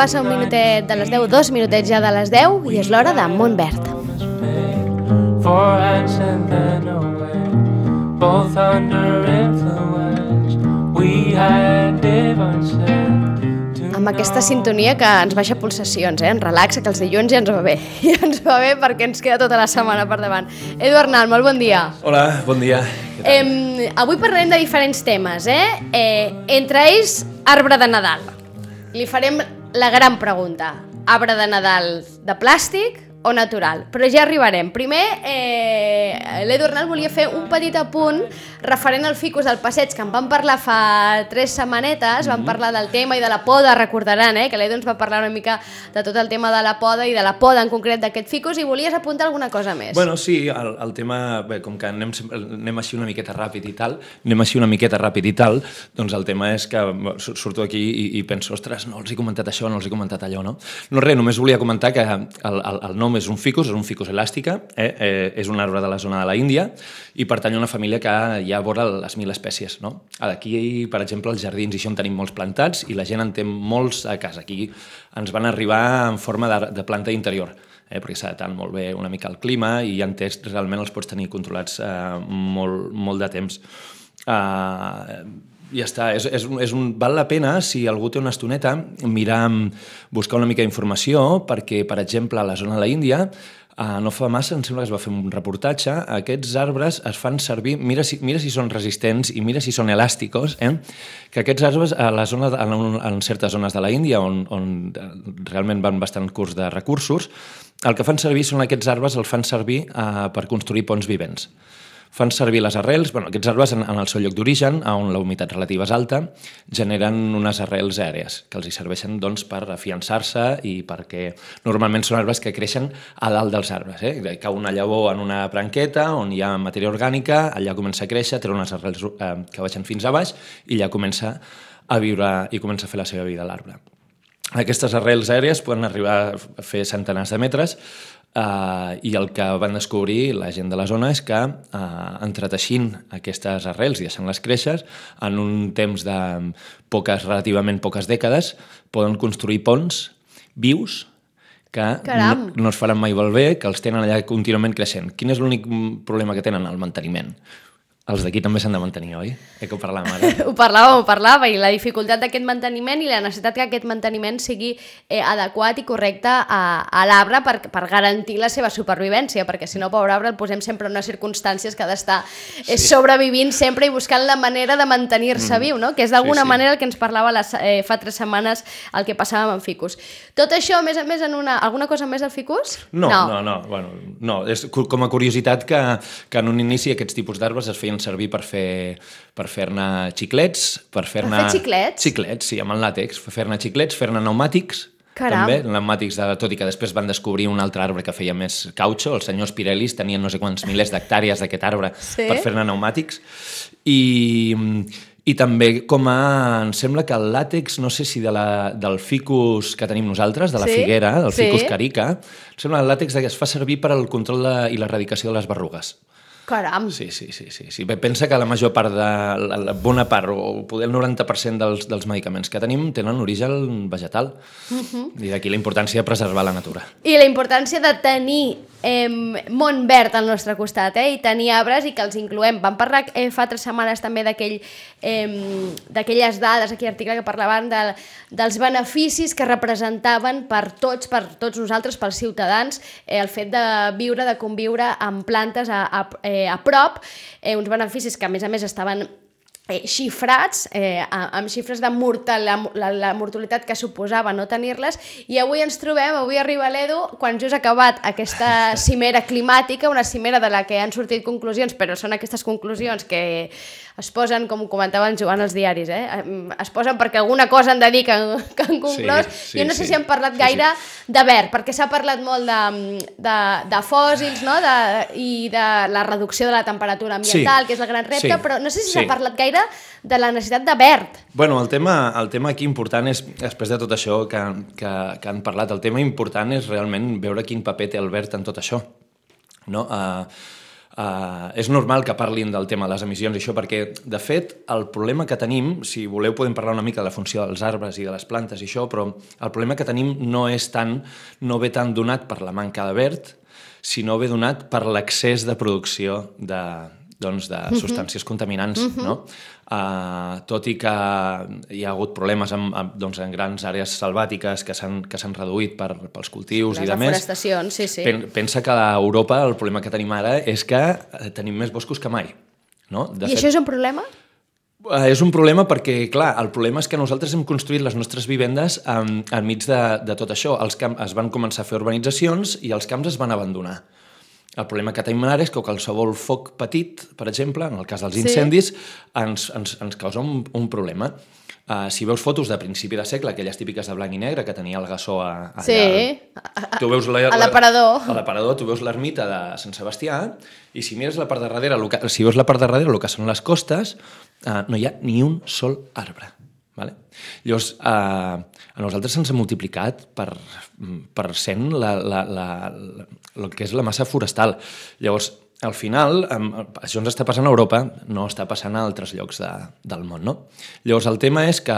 passa un minutet de les 10, 2 minutets ja de les 10, i és l'hora de Montverd. Amb aquesta sintonia que ens baixa pulsacions, ens relaxa, que els dilluns ja ens va bé. Ja ens va bé perquè ens queda tota la setmana per davant. Edu Arnal, molt bon dia. Hola, bon dia. Avui parlarem de diferents temes, entre ells, arbre de Nadal. Li farem la gran pregunta. Arbre de Nadal de plàstic o natural? Però ja arribarem. Primer, l'Edu Arnal volia fer un petit apunt referent al ficus del passeig, que en vam parlar fa 3 setmanetes, vam parlar del tema i de la poda, recordaran, que l'Edu ens va parlar una mica de tot el tema de la poda i de la poda en concret d'aquest ficus, i volies apuntar alguna cosa més. Bueno, sí, el tema, bé, com que anem així una miqueta ràpid i tal, doncs el tema és que surto aquí i penso, ostres, no els he comentat això, no els he comentat allò, no? No res, només volia comentar que el nom és un ficus elàstica, és un arbre de la zona de la Índia i pertany a una família que ja vora les 1.000 espècies, no? Aquí, per exemple, als jardins, i això en tenim molts plantats i la gent en té molts a casa. Aquí ens van arribar en forma de planta interior, perquè s'adapten molt bé una mica al clima i ja en té, realment els pots tenir controlats molt de temps. Ja està, val la pena, si algú té una estoneta, buscar una mica d'informació, perquè, per exemple, a la zona de la Índia, no fa massa, em sembla que es va fer un reportatge, aquests arbres es fan servir, mira si són resistents i mira si són elàsticos, que aquests arbres en certes zones de la Índia, on realment van bastant curts de recursos, el que fan servir són aquests arbres, els fan servir per construir ponts vivents. Fan servir les arrels, aquests arbres en el seu lloc d'origen, on la humitat relativa és alta, generen unes arrels aèries que els hi serveixen per afiançar-se i perquè normalment són arbres que creixen a dalt dels arbres. Cau una llavor en una branqueta on hi ha matèria orgànica, allà comença a créixer, té unes arrels que baixen fins a baix i allà comença a viure i comença a fer la seva vida a l'arbre. Aquestes arrels aèries poden arribar a fer centenars de metres, i el que van descobrir la gent de la zona és que entreteixint aquestes arrels i deixant-les créixer, en un temps de relativament poques dècades, poden construir ponts vius que no es faran mai malbé, que els tenen allà contínuament creixent. Quin és l'únic problema que tenen? El manteniment. Els d'aquí també s'han de mantenir, oi? Que ho parlàvem ara. Ho parlava, i la dificultat d'aquest manteniment i la necessitat que aquest manteniment sigui adequat i correcte a l'arbre per garantir la seva supervivència, perquè si no, pobre arbre, el posem sempre en unes circumstàncies que ha d'estar sobrevivint sempre i buscant la manera de mantenir-se viu, no? Que és d'alguna manera el que ens parlava fa 3 setmanes el que passava amb ficus. Tot això, a més a més, alguna cosa més del ficus? No. És com a curiositat que en un inici aquests tipus d'arbres es feien servir per fer-ne xiclets, per fer-ne xiclets? Xiclets, sí, amb el làtex, fer-ne xiclets, fer-ne pneumàtics. Caram. També, pneumàtics, tot i que després van descobrir un altre arbre que feia més cautxo, els senyors Pirellis tenien no sé quants milers d'hectàrees d'aquest arbre per fer-ne pneumàtics, i també em sembla que el làtex, no sé si del ficus que tenim nosaltres, de la figuera, del ficus carica, em sembla que el làtex es fa servir per al control i l'erradicació de les berrugues. Caram! Sí. Pensa que la major part la bona part, o poder el 90% dels medicaments que tenim tenen origen vegetal. I d'aquí la importància de preservar la natura. I la importància de tenir món verd al nostre costat, i tenir arbres i que els incloem. Vam parlar fa 3 setmanes també d'aquelles dades, aquell article que parlaven dels beneficis que representaven per tots nosaltres, pels ciutadans, el fet de viure, de conviure amb plantes a prop, uns beneficis que a més estaven xifrats, amb xifres de la mortalitat que suposava no tenir-les, i avui arriba l'Edu quan just ha acabat aquesta cimera climàtica, una cimera de la que han sortit conclusions, però són aquestes conclusions que es posen, com comentava en Joan als diaris, es posen perquè alguna cosa han de dir que han conclòs. Jo no sé si han parlat gaire de verd, perquè s'ha parlat molt de fòssils, no? I de la reducció de la temperatura ambiental, que és el gran repte, però no sé si s'ha parlat gaire de la necessitat de verd. Bueno, el tema aquí important és, després de tot això que han parlat, el tema important és realment veure quin paper té el verd en tot això, no? és normal que parlin del tema de les emissions i això, perquè, de fet, el problema que tenim, si voleu podem parlar una mica de la funció dels arbres i de les plantes i això, però el problema que tenim no ve tan donat per la manca de verd, sinó ve donat per l'excés de producció de substàncies contaminants, no? Tot i que hi ha hagut problemes en grans àrees selvàtiques que s'han reduït pels cultius i de més. Les deforestacions, sí. Pensa que a Europa el problema que tenim ara és que tenim més boscos que mai. No? I això és un problema? És un problema perquè, clar, el problema és que nosaltres hem construït les nostres vivendes enmig de tot això. Es van començar a fer urbanitzacions i els camps es van abandonar. El problema que tenim ara és que qualsevol foc petit, per exemple, en el cas dels incendis, ens causa un problema. Si veus fotos de principi de segle, aquelles típiques de blanc i negre que tenia el Gassó allà... Sí, a l'aparador. A l'aparador, tu veus l'ermita de Sant Sebastià i si mires la part de darrere, si veus la part de darrere, el que són les costes, no hi ha ni un sol arbre. Vale? Llavors, a nosaltres se'ns ha multiplicat per 100 el que és la massa forestal. Llavors, al final, això ens està passant a Europa, no està passant a altres llocs del món, no? Llavors, el tema és que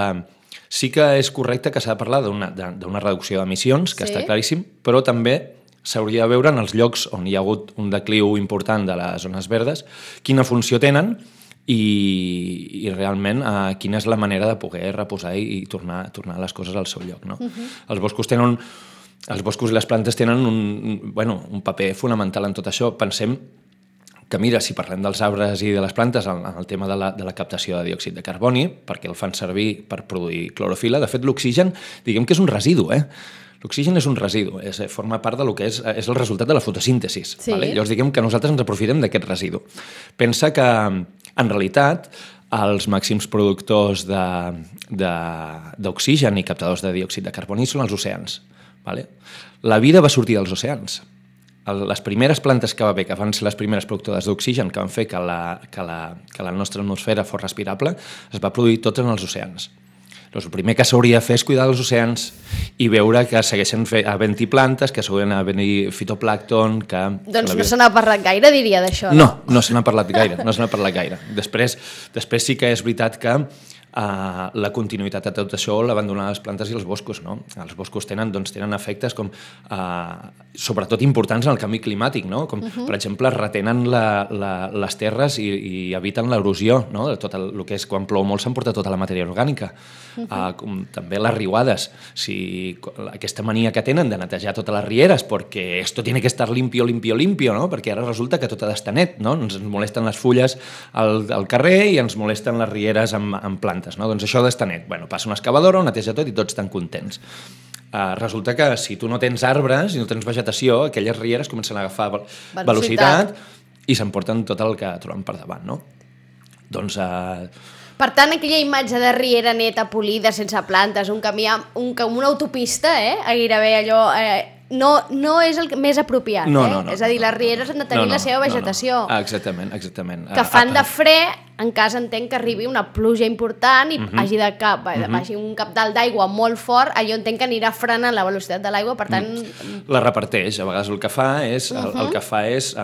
sí que és correcte que s'ha de parlar d'una reducció d'emissions, que està claríssim, però també s'hauria de veure en els llocs on hi ha hagut un decliu important de les zones verdes, quina funció tenen i realment quina és la manera de poder reposar i tornar les coses al seu lloc. No? Els boscos i les plantes tenen un paper fonamental en tot això. Pensem que, mira, si parlem dels arbres i de les plantes en el tema de la captació de diòxid de carboni, perquè el fan servir per produir clorofil·la, de fet l'oxigen, diguem que és un residu, L'oxigen és un residu, forma part del que és el resultat de la fotosíntesi. Sí. Vale? Llavors diguem que nosaltres ens aprofitem d'aquest residu. Pensa que, en realitat, els màxims productors d'oxigen i captadors de diòxid de carboni són els oceans. Vale? La vida va sortir dels oceans. Les primeres plantes que va haver, que van ser les primeres productores d'oxigen, que van fer que la nostra atmosfera fos respirable, es va produir tots en els oceans. El primer que s'hauria de fer és cuidar dels oceans i veure que segueixen havent-hi plantes, que s'haurien d'haver-hi fitoplàncton... Doncs no se n'ha parlat gaire, diria, d'això, no? No se n'ha parlat gaire, Després sí que és veritat que la continuïtat de tot això la van donar les plantes i els boscos, no? Els boscos tenen efectes com sobretot importants en el canvi climàtic, no? Com, per exemple, retenen les terres i eviten l'erosió, no? Tot el que és quan plou molt s'emporta tota la matèria orgànica. Com també les riuades, aquesta mania que tenen de netejar totes les rieres perquè esto tiene que estar limpio, no? Perquè ara resulta que tot ha d'estar net, no? Ens molesten les fulles al carrer i ens molesten les rieres amb plantes, no? Doncs això ha d'estar net. Bueno, passa una excavadora, ho neteja tot i tots estan contents. Resulta que si tu no tens arbres i no tens vegetació, aquelles rieres comencen a agafar velocitat i s'emporten tot el que troben per davant, no? Doncs... Per tant, aquella imatge de riera neta, polida, sense plantes, un camí, una autopista, gairebé allò... No és el més apropiat, No. És a dir, les rieres han de tenir la seva vegetació. No. Exactament. Que fan de fre en cas entenc que arribi una pluja important i hagi un cabdal d'aigua molt fort, allò entenc que anirà frenant la velocitat de l'aigua, per tant... La reparteix, a vegades el que fa és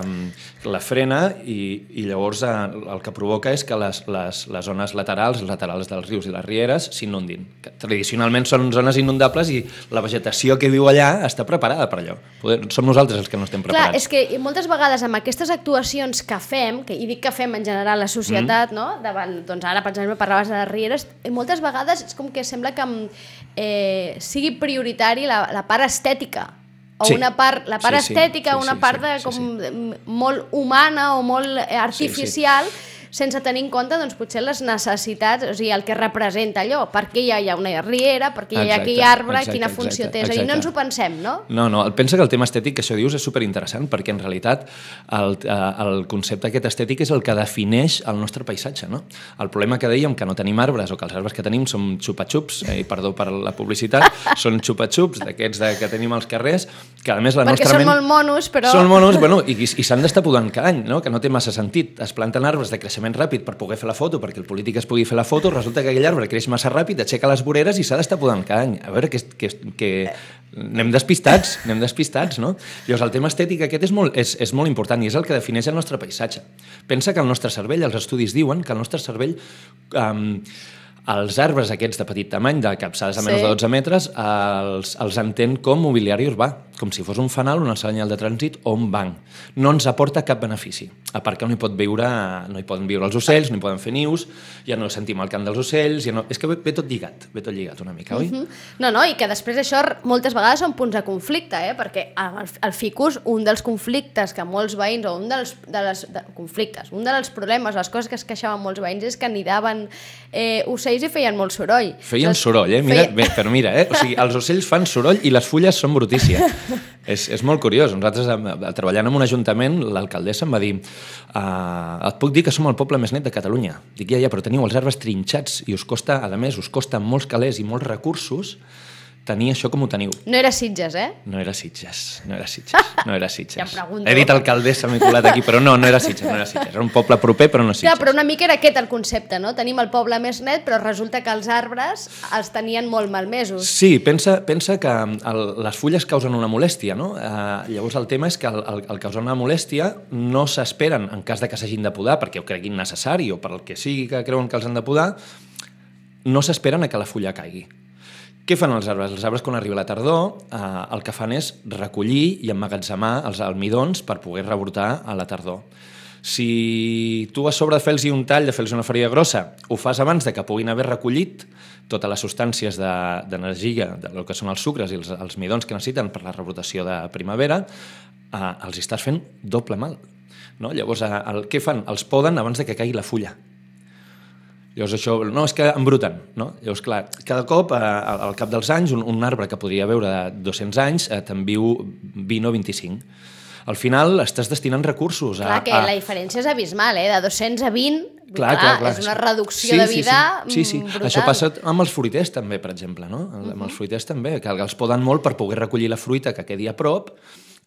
la frena i llavors el que provoca és que les zones laterals dels rius i les rieres s'inundin. Tradicionalment són zones inundables i la vegetació que viu allà està preparada per allò. Som nosaltres els que no estem preparats. Clar, és que moltes vegades amb aquestes actuacions que fem, i dic que fem en general la societat, no? Davant, doncs ara, per exemple, parlaves de les rieres, i moltes vegades és com que sembla que sigui prioritari la part estètica, o la part estètica, una part molt humana o molt artificial, sense tenir en compte doncs, potser les necessitats, o sigui, el que representa allò, per què hi ha una riera, per què hi ha aquell arbre, quina funció té, és a dir, no ens ho pensem, no? No, pensa que el tema estètic que això dius és superinteressant, perquè en realitat el concepte aquest estètic és el que defineix el nostre paisatge, no? El problema que dèiem, que no tenim arbres, o que els arbres que tenim són xupa-xups, perdó per la publicitat, són xupa-xups d'aquests que tenim als carrers, que a més la nostra ment... Perquè són molt monos, però... Són monos, i s'han d'estar podant cada any, no? Que no té massa sentit. Es planten arbres de creixement creixement ràpid per poder fer la foto, perquè el polític es pugui fer la foto, resulta que aquell arbre creix massa ràpid, aixeca les voreres i s'ha d'estar podant cada any. A veure, que anem despistats, no? Llavors, el tema estètic aquest és molt important i és el que defineix el nostre paisatge. Pensa que el nostre cervell, els estudis diuen que el nostre cervell... els arbres aquests de petit tamany, de capçades a menys de 12 metres, els entén com mobiliari urbà, com si fos un fanal, una senyal de trànsit o un banc. No ens aporta cap benefici, a part que no hi poden viure els ocells, no hi poden fer nius, ja no sentim el cant dels ocells, és que ve tot lligat una mica, oi? No, i que després això moltes vegades són punts de conflicte, perquè el ficus, un dels conflictes que molts veïns, o un dels problemes, les coses que es queixaven molts veïns és que anidaven ocells i feien molt soroll. Feien soroll, però mira, o sigui, els ocells fan soroll i les fulles són brutícies. És molt curiós. Nosaltres, treballant en un ajuntament, l'alcaldessa em va dir et puc dir que som el poble més net de Catalunya. Dic, ja, però teniu els arbres trinxats i us costa, a més, molts calés i molts recursos tenir això com ho teniu. No era Sitges, eh? No era Sitges. Ja em pregunto. He dit alcaldessa, m'he colat aquí, però no era Sitges. Era un poble proper, però no Sitges. Clar, però una mica era aquest el concepte, no? Tenim el poble més net, però resulta que els arbres els tenien molt malmesos. Sí, pensa que les fulles causen una molèstia, no? Llavors el tema és que el causar una molèstia no s'esperen en cas de que s'hagin de podar, perquè ho creguin necessari o per el que sigui que creuen que els han de podar, no s'esperen a que la fulla caigui. Què fan els arbres? Els arbres, quan arriba la tardor, el que fan és recollir i emmagatzemar els almidons per poder rebrotar a la tardor. Si tu a sobre de fer-los un tall, de fer-los una farina grossa, ho fas abans de que puguin haver recollit totes les substàncies d'energia, del que són els sucres i els midons que necessiten per la rebrotació de primavera, els estàs fent doble mal. No? Llavors, què fan? Els poden abans de que caigui la fulla. Llavors això, no, és que embruten, no? Llavors, clar, cada cop, al cap dels anys, un arbre que podria veure de 200 anys te'n viu 20 o 25. Al final estàs destinant recursos Clar, que la diferència és abismal, de 200 a 20, clar. És una reducció de vida brutal. Això passa amb els fruiters també, per exemple, no? Amb els fruiters també, que els poden molt per poder recollir la fruita que quedi a prop,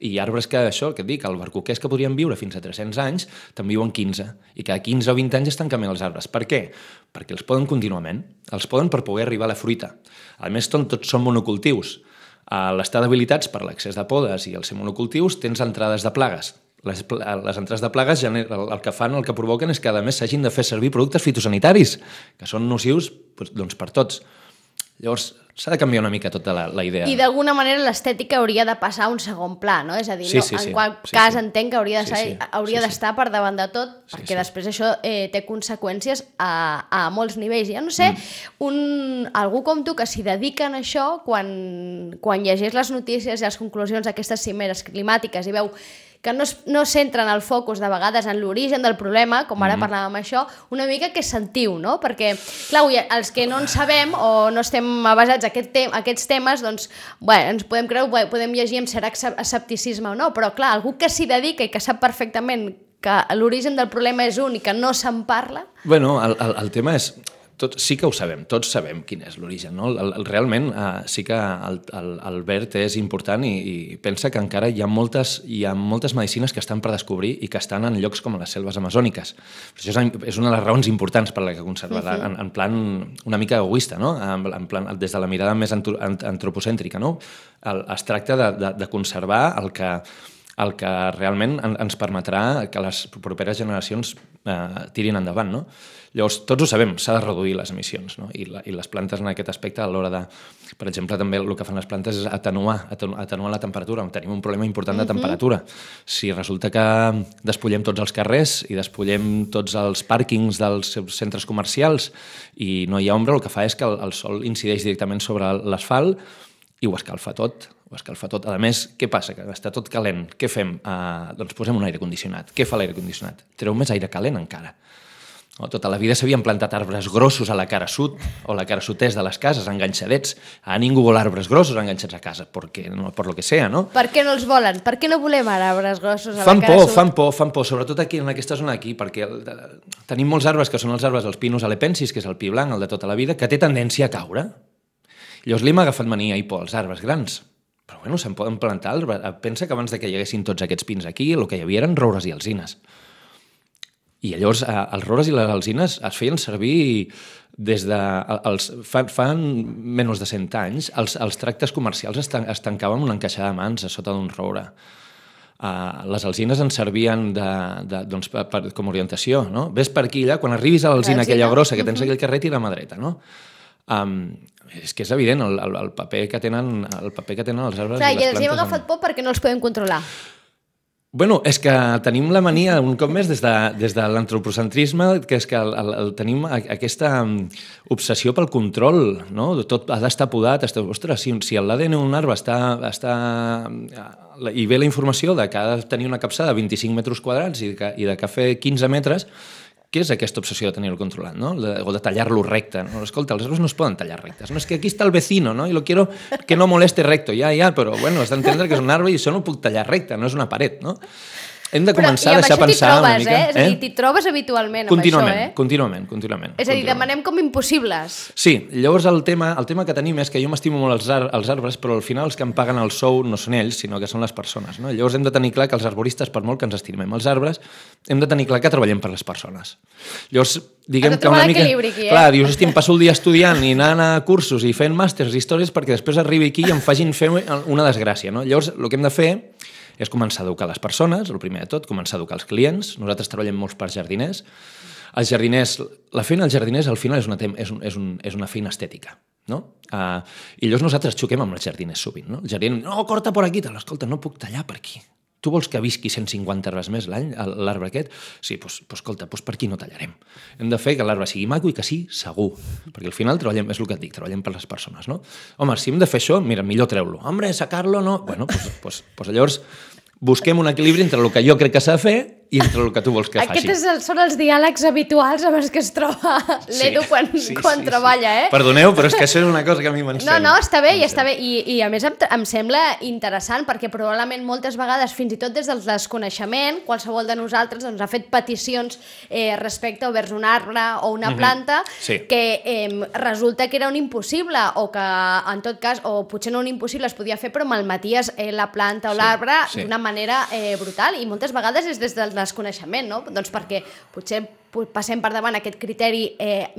i arbres que, això, que et dic, albercoquers que podrien viure fins a 300 anys, te'n viuen 15. I cada 15 o 20 anys estan canviant els arbres. Per què? Perquè els poden contínuament. Els poden per poder arribar a la fruita. A més, tots són monocultius. A l'estar d'habilitats per l'excés de podes i els ser monocultius tens entrades de plagues. Les entrades de plagues el que fan, el que provoquen és que a més s'hagin de fer servir productes fitosanitaris, que són nocius doncs, per tots. Llavors, s'ha de canviar una mica tota la idea. I d'alguna manera l'estètica hauria de passar a un segon pla, no? És a dir, en qual cas entenc que hauria d'estar per davant de tot, perquè després això té conseqüències a molts nivells. Ja no sé, algú com tu que s'hi dedica a això, quan llegeix les notícies i les conclusions d'aquestes cimeres climàtiques i veu que no centren el focus de vegades en l'origen del problema, com ara parlàvem això, una mica que sentiu, no? Perquè, clar, els que no en sabem o no estem avasats a aquests temes, doncs, ens podem creure, podem llegir amb cert escepticisme o no, però, clar, algú que s'hi dedica i que sap perfectament que l'origen del problema és un i que no se'n parla... Bueno, el tema és... Sí que ho sabem, tots sabem quin és l'origen, no? Realment sí que el verd és important i pensa que encara hi ha moltes medicines que estan per descobrir i que estan en llocs com les selves amazòniques. Això és una de les raons importants per la que conservar-la, en plan una mica egoista, no? En plan, des de la mirada més antropocèntrica, no? Es tracta de conservar el que realment ens permetrà que les properes generacions tirin endavant, no? Llavors, tots ho sabem, s'ha de reduir les emissions, no? I les plantes en aquest aspecte, a l'hora de... Per exemple, també el que fan les plantes és atenuar la temperatura. Tenim un problema important de temperatura. Si resulta que despullem tots els carrers i despullem tots els pàrquings dels centres comercials i no hi ha ombra, el que fa és que el sol incideix directament sobre l'asfalt i ho escalfa tot. A més, què passa? Que està tot calent. Què fem? Doncs posem un aire condicionat. Què fa l'aire condicionat? Treu més aire calent encara. Tota la vida s'havien plantat arbres grossos a la cara sud o la cara sud-est de les cases, enganxadets. Ara ningú vol arbres grossos enganxats a casa, per lo que sea, no? Per què no els volen? Per què no volem arbres grossos a la cara sud? Fan por, sobretot aquí, en aquesta zona aquí, perquè tenim molts arbres que són els arbres dels pinus alepensis, que és el pi blanc, el de tota la vida, que té tendència a caure. Llavors li hem agafat mania i por als arbres grans. Però bueno, se'n poden plantar. Pensa que abans que hi haguessin tots aquests pins aquí, el que hi havia eren roures i alzines. I llavors els roures i les alzines es feien servir des de... Fan menys de 100 anys, els tractes comercials es tancaven amb una encaixada de mans a sota d'un roure. Les alzines ens servien doncs, com a orientació, no? Ves per aquí, allà, quan arribis a l'alzina aquella grossa que tens aquell carrer, tira a mà dreta, no? És que és evident el paper que tenen els arbres i les plantes. I els hem agafat por perquè no els podem controlar. Bueno, és que tenim la mania, un cop més, des de l'antropocentrisme, que és que tenim aquesta obsessió pel control, no? Tot ha d'estar podat. Ostres, si l'ADN d'un arbre està i ve la informació de que ha de tenir una capçada de 25 metres quadrats i de cafè 15 metres, què és aquesta obsessió de tenir-lo controlat, no? O de tallar-lo recte, no? Escolta, els arbres no es poden tallar rectes. No, és que aquí està el vecino, no? I lo quiero que no moleste recto. Ja, però bueno, has d'entendre que és un arbre i això no ho puc tallar recte, no és una paret, no? Hem de començar a deixar pensar una mica. És a dir, t'hi trobes habitualment amb això, eh? Contínuament. És a dir, demanem com impossibles. Sí, llavors el tema que tenim és que jo m'estimo molt els arbres, però al final els que em paguen el sou no són ells, sinó que són les persones, no? Llavors hem de tenir clar que els arboristes, per molt que ens estimem els arbres, hem de tenir clar que treballem per les persones. Llavors, diguem que una mica... Clar, dius, em passo el dia estudiant i anant a cursos i fent màsters i històries perquè després arribi aquí i em facin fer una desgràcia, no? Llavors, el que hem de fer és començar a educar les persones, el primer de tot, començar a educar els clients. Nosaltres treballem molts per jardiners. Els jardiners, la feina dels jardiners al final és una feina estètica, no? I llavors nosaltres xoquem amb els jardiners sovint, no? El jardiner, no, corta per aquí, escolta, no puc tallar per aquí. Tu vols que visqui 150 arbres més l'any, l'arbre aquest? Sí, doncs escolta, per aquí no tallarem. Hem de fer que l'arbre sigui maco i que sí, segur. Perquè al final treballem, és el que et dic, treballem per les persones, no? Home, si hem de fer això, mira, millor treu-lo. Hombre, sacar-lo, no? Bueno, doncs llavors busquem un equilibri entre el que jo crec que s'ha de fer i entre el que tu vols que faci. Aquests són els diàlegs habituals amb els que es troba l'Edu quan treballa, eh? Perdoneu, però és que això és una cosa que a mi m'encén. No, està bé, està bé. I a més em sembla interessant perquè probablement moltes vegades, fins i tot des del desconeixement, qualsevol de nosaltres ha fet peticions respecte a vers un arbre o una planta que resulta que era un impossible o que, en tot cas, o potser no un impossible es podia fer, però malmeties la planta o l'arbre d'una manera brutal i moltes vegades és des del desconeixement, no? Doncs perquè potser passem per davant aquest criteri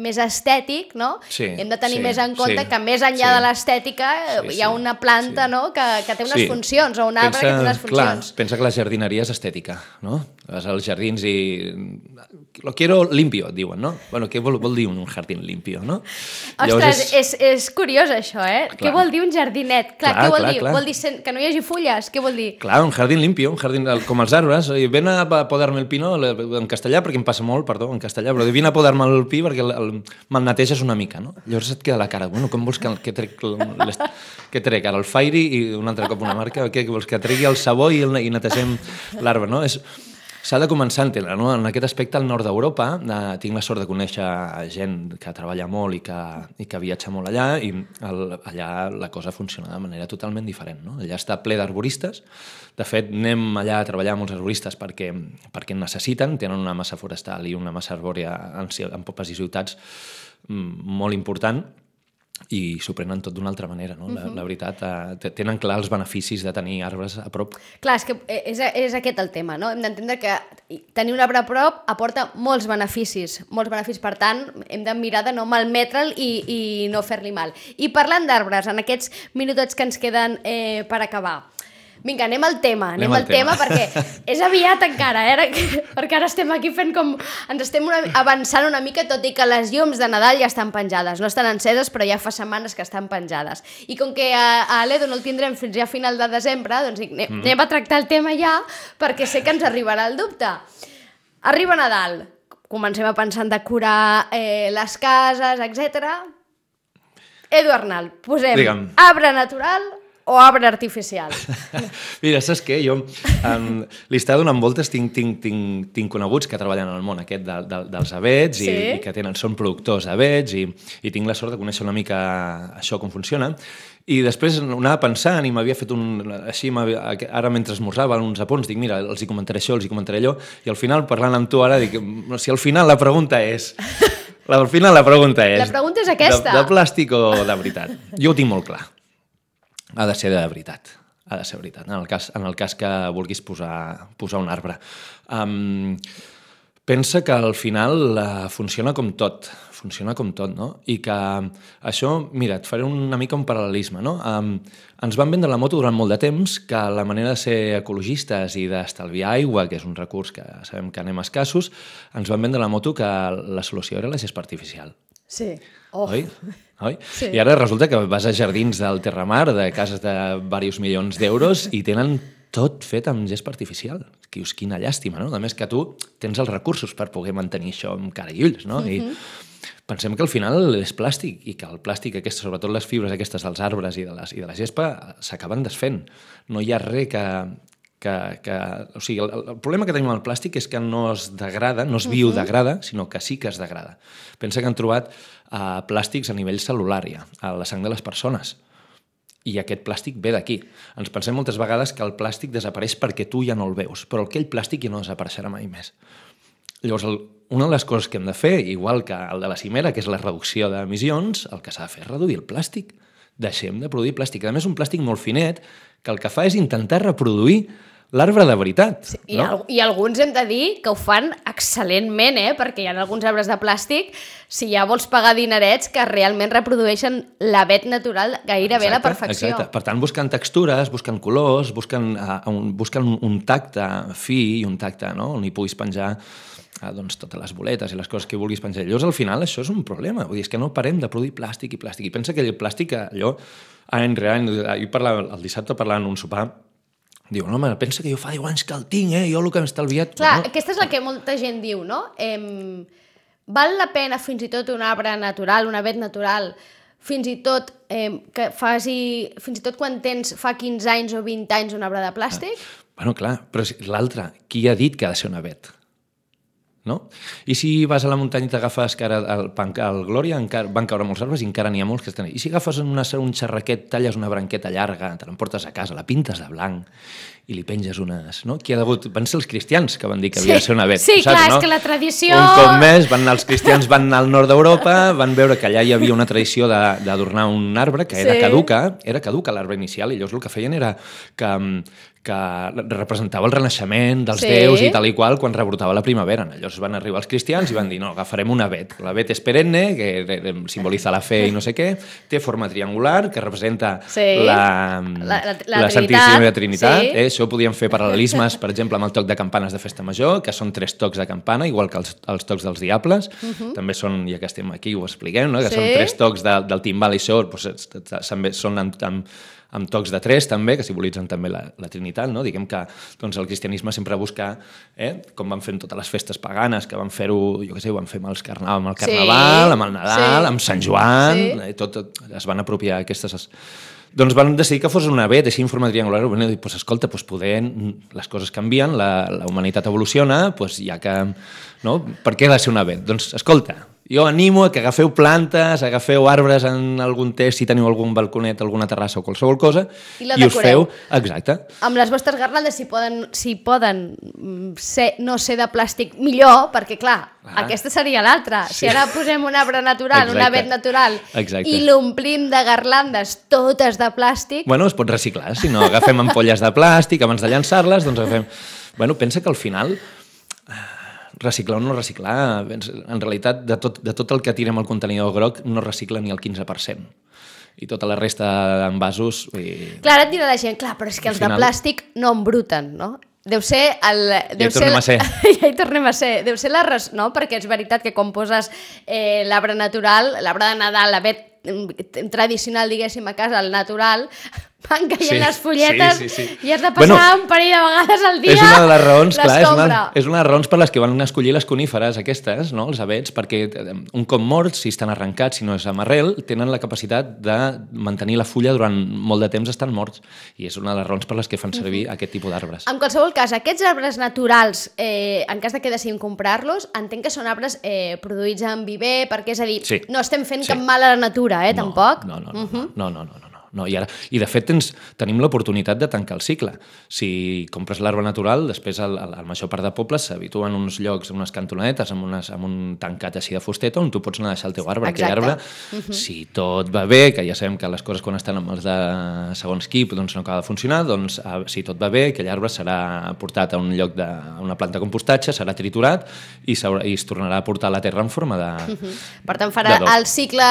més estètic, no? Hem de tenir més en compte que més enllà de l'estètica hi ha una planta que té unes funcions, o un arbre que té unes funcions. Clar, pensa que la jardineria és estètica, no? Vas als jardins i... Lo quiero limpio, et diuen, no? Bueno, què vol dir un jardín limpio, no? Ostres, és curiós això, eh? Què vol dir un jardinet? Clar, què vol dir? Vol dir que no hi hagi fulles? Què vol dir? Clar, un jardín limpio, un jardín com els arbres. Ven a podar-me el pino en castellà, perquè em passa molt, perdó, en castellà, però vine a podar-me el pi perquè me'l neteges una mica, no? Llavors et queda la cara, bueno, com vols que trec ara el Fairy i un altre cop una marca? Què vols que tregui el sabó i netegem l'arbre, no? S'ha de començar a entendre, no? En aquest aspecte, al nord d'Europa, tinc la sort de conèixer gent que treballa molt i que viatja molt allà, i allà la cosa funciona de manera totalment diferent, no? Allà està ple d'arboristes. De fet, anem allà a treballar amb els arboristes perquè en necessiten, tenen una massa forestal i una massa arbòria en pobles i ciutats molt important, i s'ho prenen tot d'una altra manera, no? La veritat, tenen clar els beneficis de tenir arbres a prop. Clar, és que és aquest el tema, no? Hem d'entendre que tenir un arbre a prop aporta molts beneficis, per tant, hem de mirar de no malmetre'l i no fer-li mal. I parlant d'arbres, en aquests minutets que ens queden per acabar, vinga, anem al tema perquè és aviat encara, perquè ara estem aquí fent com... Ens estem avançant una mica, tot i que les llums de Nadal ja estan penjades. No estan enceses, però ja fa setmanes que estan penjades. I com que a l'Edu no el tindrem fins ja a final de desembre, doncs anem a tractar el tema ja, perquè sé que ens arribarà el dubte. Arriba Nadal, comencem a pensar en decorar les cases, etc. Edu Arnal, posem arbre natural o arbre artificial? Mira, saps què? Jo li estava donant voltes, tinc coneguts que treballen en el món aquest dels avets i que són productors d'avets i tinc la sort de conèixer una mica això com funciona. I després anava pensant i m'havia fet així, ara mentre esmorzava uns apunts, dic, mira, els hi comentaré això, els hi comentaré allò, i al final, parlant amb tu ara, dic, si al final la pregunta és... Al final la pregunta és... La pregunta és aquesta. De plàstic o de veritat? Jo ho tinc molt clar. Ha de ser de veritat. Ha de ser veritat, en el cas que vulguis posar un arbre. Pensa que al final funciona com tot, no? I que això, mira, et faré una mica un paral·lelisme, no? Ens van vendre la moto durant molt de temps que la manera de ser ecologistes i d'estalviar aigua, que és un recurs que sabem que anem escassos, ens van vendre la moto que la solució era la gespa artificial. Sí. Oi? Sí. I ara resulta que vas a jardins del Terramar, de cases de diversos milions d'euros, i tenen tot fet amb gespa artificial. Dius, quina llàstima, no? A més que tu tens els recursos per poder mantenir això amb cara i ulls, no? I pensem que al final és plàstic i que el plàstic, sobretot les fibres aquestes dels arbres i de la gespa, s'acaben desfent. No hi ha res o sigui, el problema que tenim amb el plàstic és que no es degrada, no es biodegrada, sinó que sí que es degrada. Pensa que han trobat plàstics a nivell cel·lular ja, a la sang de les persones. I aquest plàstic ve d'aquí. Ens pensem moltes vegades que el plàstic desapareix perquè tu ja no el veus, però aquell plàstic ja no desapareixerà mai més. Llavors, una de les coses que hem de fer, igual que el de la cimera, que és la reducció d'emissions, el que s'ha de fer és reduir el plàstic. Deixem de produir plàstic. A més, un plàstic molt finet que el que fa és intentar reproduir l'arbre de veritat. Sí, i alguns hem de dir que ho fan excel·lentment, perquè hi ha alguns arbres de plàstic, si ja vols pagar dinerets, que realment reprodueixen l'avet natural gairebé a la perfecció. Exacte. Per tant, busquen textures, busquen colors, busquen un tacte fi i un tacte, no?, on hi puguis penjar totes les boletes i les coses que vulguis penjar. Llavors, al final, això és un problema. Vull dir, és que no parem de produir plàstic i plàstic. I pensa que el plàstic, allò, any rere any, el dissabte parlant en un sopar, diu, no, home, pensa que jo fa 10 anys que el tinc, jo el que m'he estalviat... Clar, aquesta és la que molta gent diu, no? Val la pena fins i tot un arbre natural, un avet natural, fins i tot fins i tot quan tens fa 15 anys o 20 anys un arbre de plàstic? Bueno, clar, però l'altre, qui ha dit que ha de ser un avet? No? I si vas a la muntanya i t'agafes que ara al Glòria van caure molts arbres i encara n'hi ha molts que estan... I si agafes un xerraquet, talles una branqueta llarga, te l'emportes a casa, la pintes de blanc i li penges unes... No? Qui ha degut... Van ser els cristians que van dir que havia de ser un avet. Sí, saps, clar, no? És que la tradició... Un cop més, els cristians van al nord d'Europa, van veure que allà hi havia una tradició d'adornar un arbre que era caduca l'arbre inicial, i llavors el que feien era que representava el renaixement dels déus i tal i qual quan rebrotava la primavera. Llavors van arribar els cristians i van dir, no, agafarem un avet. L'avet és perenne, que simbolitza la fe i no sé què, té forma triangular, que representa la Santíssima Trinitat. Això ho podíem fer paral·lelismes, per exemple, amb el toc de campanes de festa major, que són 3 tocs de campana, igual que els tocs dels diables. També són, ja que estem aquí, ho expliquem, no? Que són 3 tocs del timbal i això, són amb tocs de 3 també, que simbolitzen també la Trinitat, no? Diguem que el cristianisme sempre busca, com van fent totes les festes paganes, que van fer-ho, jo què sé, ho van fer amb el Carnaval, amb el Nadal, amb Sant Joan, es van apropiar aquestes... Doncs van decidir que fos un avet, així en forma triangular, i dir, escolta, poder les coses canvien, la humanitat evoluciona, ja que... No? Per què ha de ser un avet? Doncs, escolta, jo animo a que agafeu plantes, agafeu arbres en algun test, si teniu algun balconet, alguna terrassa o qualsevol cosa, i us feu... Exacte. Amb les vostres garlandes, si poden no ser de plàstic, millor, perquè, clar, aquesta seria l'altra. Si ara posem un arbre natural, un avet natural, i l'omplim de garlandes totes de plàstic... Bueno, es pot reciclar. Si no, agafem ampolles de plàstic, abans de llançar-les, doncs agafem... Bueno, pensa que al final... reciclar o no reciclar, en realitat de tot el que tirem al contenidor groc no recicla ni el 15%. I tota la resta d'envasos... Clar, ara et dirà la gent, clar, però és que els de plàstic no embruten, no? Deu ser... Ja hi tornem a ser. Ja hi tornem a ser. Deu ser no? Perquè és veritat que quan poses l'arbre natural, l'arbre de Nadal, l'avet tradicional, diguéssim, a casa, el natural, van caient les folletes i has de passar un parell de vegades al dia. És una de les raons, clar, és una de les raons per les que van escollir les coníferes aquestes, no? Els avets, perquè un cop morts, si estan arrencats, si no és amb arrel, tenen la capacitat de mantenir la fulla durant molt de temps estan morts. I és una de les raons per les que fan servir aquest tipus d'arbres. En qualsevol cas, aquests arbres naturals, en cas de que decidim comprar-los, entenc que són arbres produïts en viver, perquè és a dir, no estem fent cap mal a la natura, tampoc? No. no. I de fet tenim l'oportunitat de tancar el cicle. Si compres l'arbre natural, després la major part de pobles s'habituen en uns llocs, en unes cantonetes, amb un tancat així de fusteta on tu pots anar a deixar el teu arbre. Aquell arbre, si tot va bé, que ja sabem que les coses quan estan amb els de segons qui doncs no acaba de funcionar, doncs si tot va bé, aquell arbre serà portat a un lloc a una planta de compostatge, serà triturat i es tornarà a portar a la terra en forma de... Per tant, farà el cicle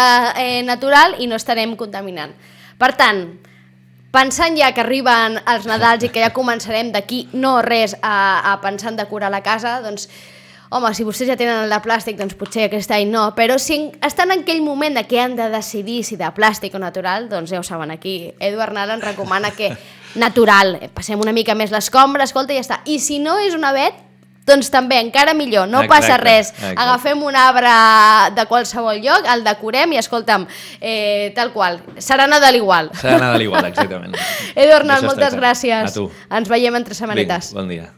natural i no estarem contaminant. Per tant, pensant ja que arriben els Nadals i que ja començarem d'aquí no res a pensar en decorar la casa, doncs, home, si vostès ja tenen el de plàstic, doncs potser aquest any no, però si estan en aquell moment que han de decidir si de plàstic o natural, doncs ja ho saben, aquí Edu Arnal ens recomana que natural, passem una mica més l'escombra, escolta, i ja està. I si no és un avet, doncs també, encara millor, no passa res. Agafem un arbre de qualsevol lloc, el decorem i, escolta'm, tal qual, serà Nadal igual. Serà Nadal igual, exactament. Edu Arnal, moltes gràcies. A tu. Ens veiem entre setmanetes. Vinga, bon dia.